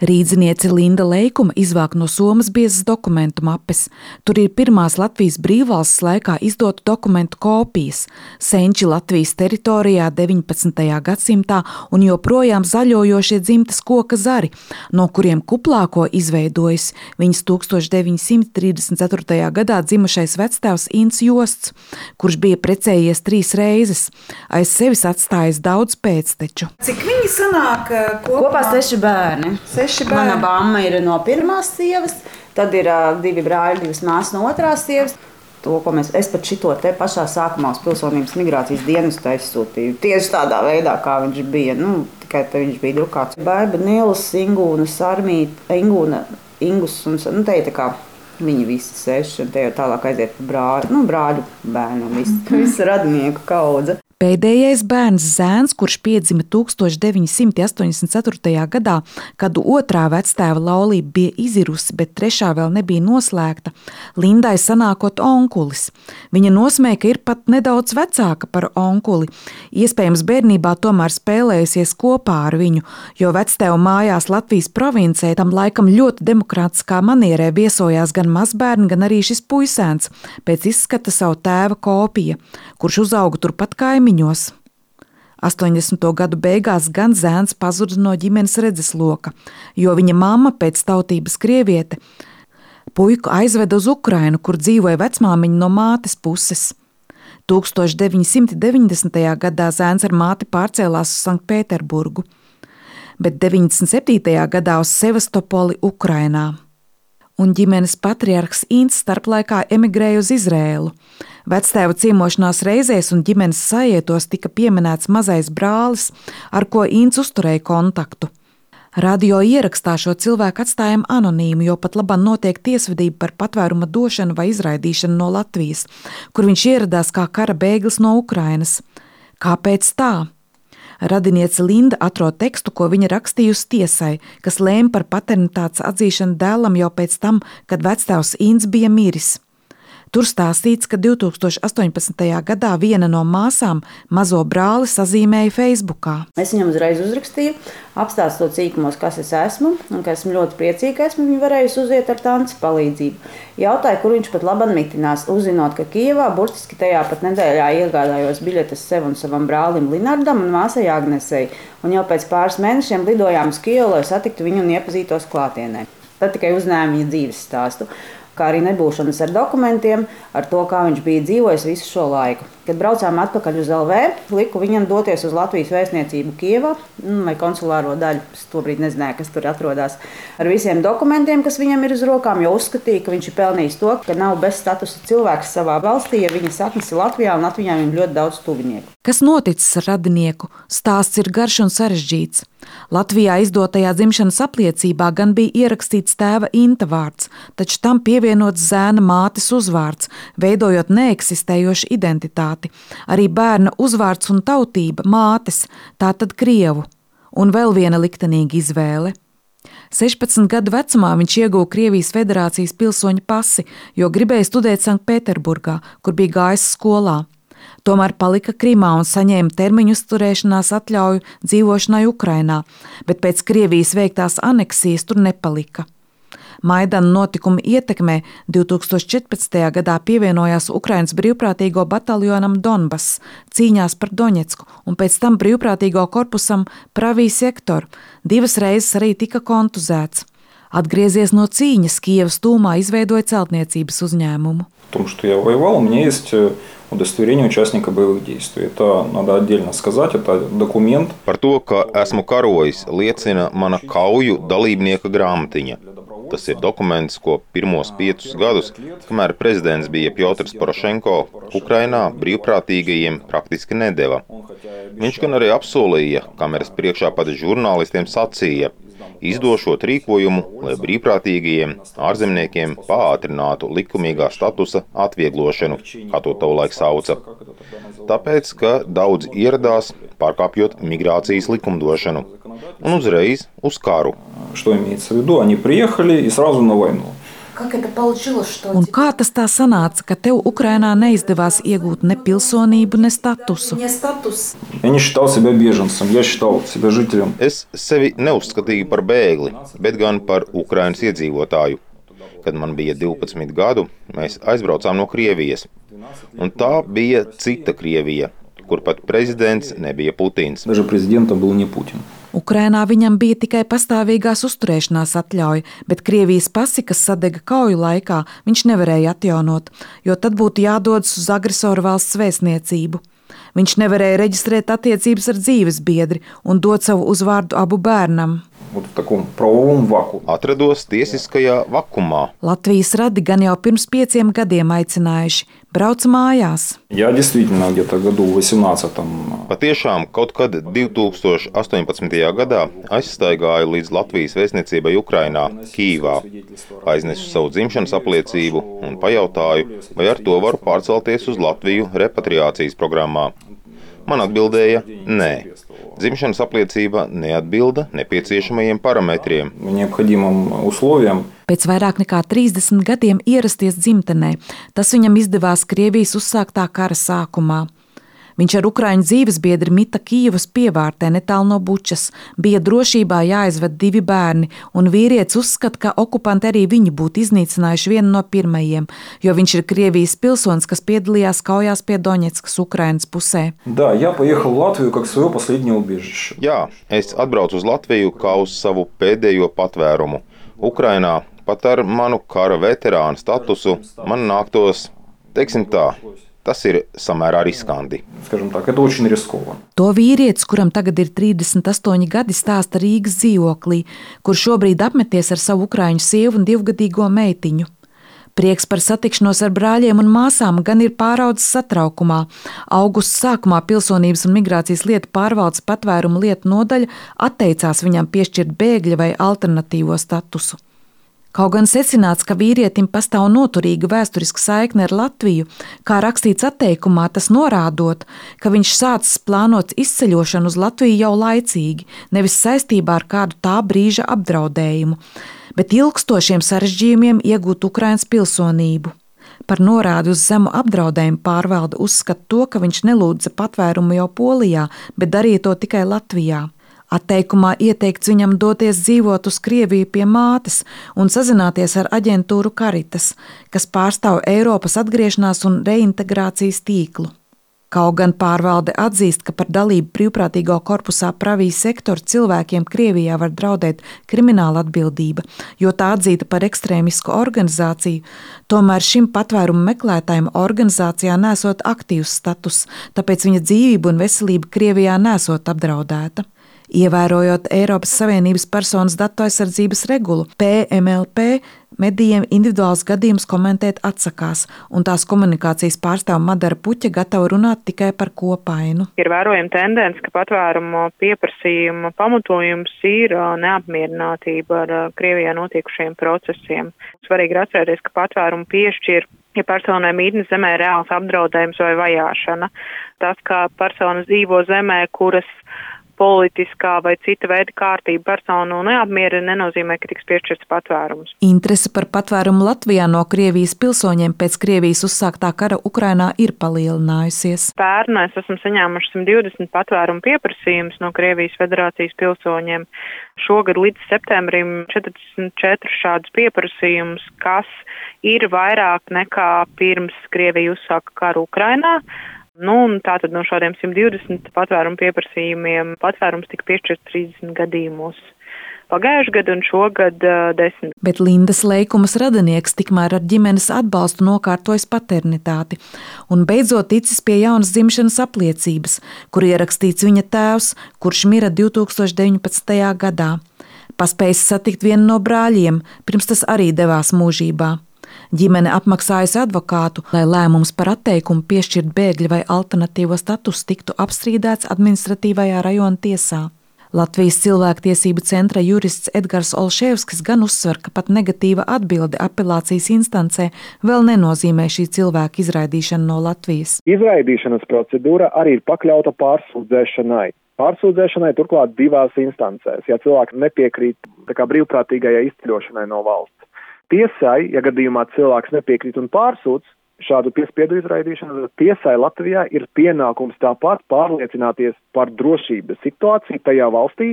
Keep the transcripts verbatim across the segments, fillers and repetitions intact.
Rīdziniece Linda Leikuma izvāk no somas biezas dokumentu mapes. Tur ir pirmās Latvijas brīvvalsts laikā izdotu dokumentu kopijas, senči Latvijas teritorijā deviņpadsmitajā gadsimtā un joprojām zaļojošie dzimtas koka zari, no kuriem kuplāko izveidojis viņas tūkstoš deviņsimt trīsdesmit ceturtajā gadā dzimušais vectēvs Ints Josts, kurš bija precējies trīs reizes, aiz sevis atstājis daudz pēcteču. Cik viņi sanāk kopā? Kopā seši bērni. Mana mamma ir no pirmās sievas, tad ir uh, divi brāļi, divas māsas no otrās sievas. To, ko mēs, es pat šito te pašā sākumā uz pilsonības migrācijas dienestu aizsūtīju. Tieši tādā veidā, kā viņš bija. Nu, tikai te viņš bija drukāts. Baiba, Niels, Ingūna, Sarmīta, Ingūna, Ingus un nu, te ir tā kā viņi visi seši. Un te jau tālāk aiziet pa brāļu, nu, brāļu bērnu un visu, visu radinieku kaudze. Pēdējais bērns Zēns, kurš piedzima tūkstoš deviņsimt astoņdesmit ceturtajā gadā, kad otrā vectēva laulība bija izirusi, bet trešā vēl nebija noslēgta, Lindai sanākot onkulis. Viņa nosmēja, ka ir pat nedaudz vecāka par onkuli. Iespējams, bērnībā tomēr spēlējusies kopā ar viņu, jo vectēva mājās Latvijas provincē tam laikam ļoti demokrātiskā manierē viesojās gan mazbērni, gan arī šis puisēns, pēc izskata savu tēva kopija, kurš uzauga turpat kaimiņos. astoņdesmito gadu beigās gan Zēns pazuda no ģimenes redzesloka, jo viņa mamma pēc tautības krieviete puiku aizveda uz Ukrainu, kur dzīvoja vecmāmiņa no mātes puses. tūkstoš deviņsimt deviņdesmitajā gadā Zēns ar māti pārcēlās uz Sanktpēterburgu, bet deviņdesmit septītajā gadā uz Sevastopoli Ukrainā. Un ģimenes patriarhs Ints starplaikā emigrēja uz Izrēlu. Vectēva ciemošanās reizēs un ģimenes sajietos tika pieminēts mazais brālis, ar ko Ints uzturēja kontaktu. Radio ierakstā šo cilvēku atstājam anonīmu, jo pat labāk notiek tiesvedība par patvēruma došanu vai izraidīšanu no Latvijas, kur viņš ieradās kā kara bēglis no Ukrainas. Kāpēc tā? Radiniece Linda atrod tekstu, ko viņa rakstījusi tiesai, kas lēma par paternitātes atzīšanu dēlam jau pēc tam, kad vectēvs Ints bija miris. Tur stāstīts, ka divtūkstoš astoņpadsmitajā gadā viena no māsām mazo brāli sazīmēja Facebookā. Es viņam uzreiz uzrakstīju, apstāstot cīkumos, kas es esmu, un ka esmu ļoti priecīga, ka esmu viņu varējusi uziet ar tantes palīdzību. Jautāju, kur viņš pat labam mitinās, uzzinot, ka Kijevā burtiski tajā pat nedēļā iegādājos biļetes sev un savam brālim Linardam un māsai Agnesei, un jau pēc pāris mēnešiem lidojām uz Kijevu, lai satiktu viņu un iepazītos klātienē. Tad tikai uzzinājām viņa dzīves stāstu, kā arī nebūšanas ar dokumentiem, ar to, kā viņš bija dzīvojis visu šo laiku. Kad braucām atpakaļ uz L V, liku viņam doties uz Latvijas vēstniecību Kijevā, vai konsulāro daļu, es tobrīd nezināju, kas tur atrodas, ar visiem dokumentiem, kas viņam ir uz rokām, jo uzskatīja, ka viņš ir pelnījis to, ka nav bez statusa cilvēks savā valstī, ja viņa saknes ir Latvijā, un Latvijā viņam ļoti daudz tuvinieku. Kas noticis ar radinieku? Stāsts ir garš un sarežģīts. Latvijā izdotajā dzimšanas apliecībā gan bija ierakstīts tēva Inta vārds, taču tam pievienots Zēna mātes uzvārds, veidojot neeksistējošu identitāti. Arī bērna uzvārds un tautība mātes, tātad krievu, un vēl viena liktenīga izvēle. sešpadsmit gadu vecumā viņš ieguva Krievijas Federācijas pilsoņa pasi, jo gribēja studēt Sanktpēterburgā, kur bija gājis skolā. Tomēr palika Krimā un saņēma termiņu uzturēšanās atļauju dzīvošanai Ukrainā, bet pēc Krievijas veiktās aneksijas tur nepalika. Maidana notikuma ietekmē divtūkstoš četrpadsmitajā gadā pievienojās Ukrainas brīvprātīgo bataljonam Donbass cīņās par Doņetsku un pēc tam brīvprātīgo korpusam Pravī sektor. Divas reizes arī tika kontuzēts. Atgriezies no cīņas, Kijevas tūmā izveidoja celtniecības uzņēmumu. Том, что я воевал, у меня есть удостоверение участника боевых действий. Это надо отдельно сказать, это документ. Par to, ka esmu karojis, liecina mana kauju dalībnieka grāmatiņa. Tas ir dokuments, ko pirmos piecus gadus, kamēr prezidents bija Pjotrs Porošenko, Ukrainā brīvprātīgajiem praktiski nedeva. Viņš gan arī apsolīja, kameras priekšā pat žurnālistiem sacīja, izdošot rīkojumu, lai brīvprātīgajiem ārzemniekiem pātrinātu likumīgā statusa atvieglošanu, kā to tolaik sauca. Tāpēc, ka daudz ieradās, pārkāpjot migrācijas likumdošanu, un uzreiz uz karu. Что имеется в виду? Они приехали и сразу на войну. Un kā tas tā sanāca, ka tev Ukrainā neizdevās iegūt ne pilsonību, ne statusu? Я не считал себя беженцем, я считал себя жителем. Es sevi neuzskatīju par bēgli, bet gan par Ukrainas iedzīvotāju. Kad man bija divpadsmit gadu, mēs aizbraucām no Krievijas. Un tā bija cita Krievija, kur pat prezidents nebija Putins. Даже президентом был не Путин. Ukrainā viņam bija tikai pastāvīgās uzturēšanās atļauja, bet Krievijas pasi, kas sadega kauju laikā, viņš nevarēja atjaunot, jo tad būtu jādodas uz agresoru valsts vēstniecību. Viņš nevarēja reģistrēt attiecības ar dzīvesbiedri un dot savu uzvārdu abu bērnam. Вот в таком правовом вакууме. Atrados tiesiskajā vakumā. Latvijas radi gan jau pirms pieciem gadiem aicinājuši: brauc mājās. Я действительно где-то году в восемнадцатом. Patiešām kaut kad divi tūkstoši astoņpadsmitajā gadā aizstaigāju līdz Latvijas vēstniecībai Ukrainā, Kīvā. Aiznesu savu dzimšanas apliecību un pajautāju, vai ar to varu pārcelties uz Latviju repatriācijas programmā. Man atbildēja nē. Dzimšanas apliecība neatbilda nepieciešamajiem parametriem. Необходимым условиям. Pēc vairāk nekā trīsdesmit gadiem ierasties dzimtenē, tas viņam izdevās Krievijas uzsāktā kara sākumā. Viņš ar ukraiņu dzīvesbiedri mita Kīvas pievārtē netālu no Bučas, bija drošībā jāizved divi bērni, un vīrietis uzskata, ka okupanti arī viņu būtu iznīcinājuši vienu no pirmajiem, jo viņš ir Krievijas pilsonis, kas piedalījās kaujās pie Doņetskas Ukrainas pusē. Да, я поехал в Латвию как свое последнее убежище. Jā, es atbraucu uz Latviju kā uz savu pēdējo patvērumu. Ukrainā pat ar manu kara veterānu statusu man nāktos, teiksim tā, tas ir samērā riskanti. Скажем так, это очень рискованно. To vīrietis, kuram tagad ir trīsdesmit astoņi gadi, stāsta Rīgas dzīvoklī, kur šobrīd apmeties ar savu ukraiņu sievu un divgadīgo meitiņu. Prieks par satikšanos ar brāļiem un māsām gan ir pāraudzis satraukumā. Augusta sākumā Pilsonības un migrācijas lietu pārvaldes patvērumu lietu nodaļa atteicās viņam piešķirt bēgļa vai alternatīvo statusu. Kaut gan secināts, ka vīrietim pastāv noturīga vēsturiska saikne ar Latviju, kā rakstīts atteikumā, tas norādot, ka viņš sācis plānot izceļošanu uz Latviju jau laicīgi, nevis saistībā ar kādu tā brīža apdraudējumu, bet ilgstošiem sarežģījumiem iegūt Ukrainas pilsonību. Par norādi uz zemu apdraudējumu pārvalde uzskata to, ka viņš nelūdza patvērumu jau Polijā, bet darīja to tikai Latvijā. Atteikumā ieteikts viņam doties dzīvot uz Krieviju pie mātes un sazināties ar aģentūru Caritas, kas pārstāv Eiropas atgriešanās un reintegrācijas tīklu. Kaut gan pārvalde atzīst, ka par dalību brīvprātīgo korpusā Pravī sektoru cilvēkiem Krievijā var draudēt krimināla atbildība, jo tā atzīta par ekstrēmisku organizāciju, tomēr šim patvērumu meklētājiem organizācijā nesot aktīvs status, tāpēc viņa dzīvība un veselība Krievijā nesot apdraudēta. Ievērojot Eiropas Savienības personas datu aizsardzības regulu, P M L P medijiem individuāls gadījums komentēt atsakās, un tās komunikācijas pārstāve Madara Puķa gatava runāt tikai par kopainu. Ir vērojama tendence, ka patvērumu pieprasījuma pamatojums ir neapmierinātība ar Krievijā notiekušiem procesiem. Svarīgi ir atcerēties, ka patvērumu piešķir, ja personai mītnes zemē ir reāls apdraudējums vai vajāšana. Tas, kā persona dzīvo zemē, kuras politiskā vai cita veida kārtība personu neapmierina, nenozīmē, ka tiks piešķirts patvērums. Interese par patvērumu Latvijā no Krievijas pilsoņiem pēc Krievijas uzsāktā kara Ukrainā ir palielinājusies. Pērn mēs esam saņēmuši simt divdesmit patvērumu pieprasījumus no Krievijas federācijas pilsoņiem. Šogad līdz septembrim četrdesmit četri šādus pieprasījumus, kas ir vairāk nekā pirms Krievija uzsāka karu Ukrainā. Nu, un tātad no šādiem simt divdesmit patvērumu pieprasījumiem patvērums tika piešķirts trīsdesmit gadījumos. Pagājuši gadu un šogad uh, desmit. Bet Lindas Leikumas radinieks tikmēr ar ģimenes atbalstu nokārtojas paternitāti un beidzot ticis pie jaunas dzimšanas apliecības, kur ierakstīts viņa tēvs, kurš mira divi tūkstoši deviņpadsmitajā gadā. Paspējis satikt vienu no brāļiem, pirms tas arī devās mūžībā. Ģimene apmaksājusi advokātu, lai lēmums par atteikumu piešķirt bēgļa vai alternatīvo statusu tiktu apstrīdēts administratīvajā rajona tiesā. Latvijas cilvēktiesību centra jurists Edgars Olševskis gan uzsver, ka pat negatīva atbilde apelācijas instancē vēl nenozīmē šī cilvēka izraidīšanu no Latvijas. Izraidīšanas procedūra arī ir pakļauta pārsūdzēšanai. Pārsūdzēšanai turklāt divās instancēs, ja cilvēki nepiekrīt tā kā brīvprātīgajai izceļošanai no valsts. tiesai, ja gadījumā cilvēks nepiekrīt un pārsūdz šādu piespiedu izraidīšanu, tad tiesai Latvijā ir pienākums tāpat pārliecināties par drošības situāciju tajā valstī,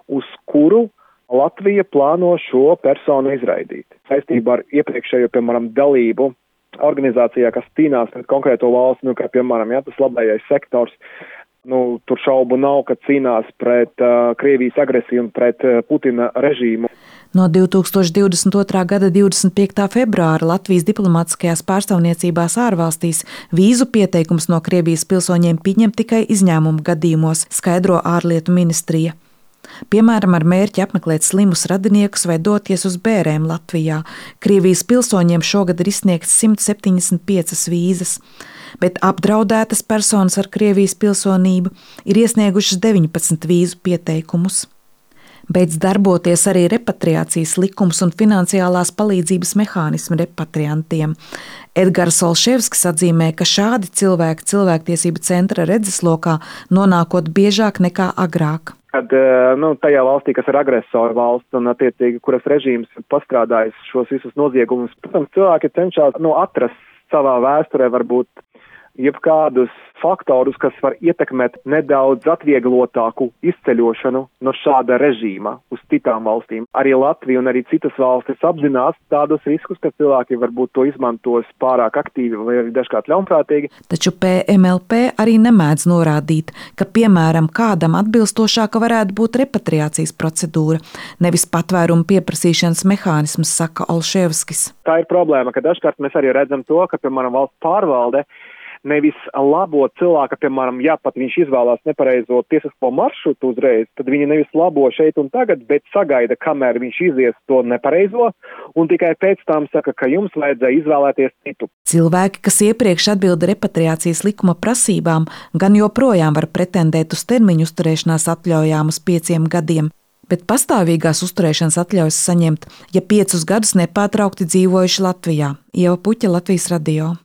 uz kuru Latvija plāno šo personu izraidīt. Saistībā ar iepriekšējo, piemēram, dalību organizācijā, kas cīnās pret konkrēto valsti, nu, kā, piemēram, ja, tas labējais sektors, nu, tur šaubu nav, ka cīnās pret uh, Krievijas agresiju un pret uh, Putina režīmu. No divi tūkstoši divdesmit otrā gada divdesmit piektā februāra Latvijas diplomātiskajās pārstāvniecībās ārvalstīs vīzu pieteikums no Krievijas pilsoņiem pieņem tikai izņēmumu gadījumos, skaidro ārlietu ministrija. Piemēram, ar mērķi apmeklēt slimus radiniekus vai doties uz bērēm Latvijā. Krievijas pilsoņiem šogad ir izsniegts simt septiņdesmit piecas vīzas, bet apdraudētas personas ar Krievijas pilsonību ir iesniegušas deviņpadsmit vīzu pieteikumus. Beidz darboties arī repatriācijas likums un finansiālās palīdzības mehānismi repatriantiem. Edgars Olševskis atzīmē, ka šādi cilvēki cilvēktiesību centra redzeslokā nonākot biežāk nekā agrāk. Kad nu, tajā valstī, kas ir agresoru valsts un attiecīgi, kuras režīms ir pastrādājis šos visus noziegumus, protams, cilvēki cenšas nu, atrast savā vēsturē varbūt jebkādus faktorus, kas var ietekmēt nedaudz atvieglotāku izceļošanu no šāda režīma uz citām valstīm. Arī Latvija un arī citas valstis apzinās tādus riskus, ka cilvēki varbūt to izmantos pārāk aktīvi vai arī dažkārt ļaunprātīgi. Taču P M L P arī nemēdz norādīt, ka, piemēram, kādam atbilstošāka varētu būt repatriācijas procedūra, nevis patvērumu pieprasīšanas mehānisms, saka Olševskis. Tā ir problēma, ka dažkārt mēs arī redzam to, ka, piemēram, valsts pārvalde nevis labo cilvēku, piemēram, ja pat viņš izvēlās nepareizo tiesisko maršrutu uzreiz, tad viņi nevis labo šeit un tagad, bet sagaida, kamēr viņš izies to nepareizo, un tikai pēc tam saka, ka jums vajadzēja izvēlēties citu. Cilvēki, kas iepriekš atbilda repatriācijas likuma prasībām, gan joprojām var pretendēt uz termiņu uzturēšanās atļaujām uz pieciem gadiem, bet pastāvīgās uzturēšanas atļaujas saņemt, ja piecus gadus nepārtraukti dzīvojuši Latvijā. Ieva Puķa, Latvijas radio.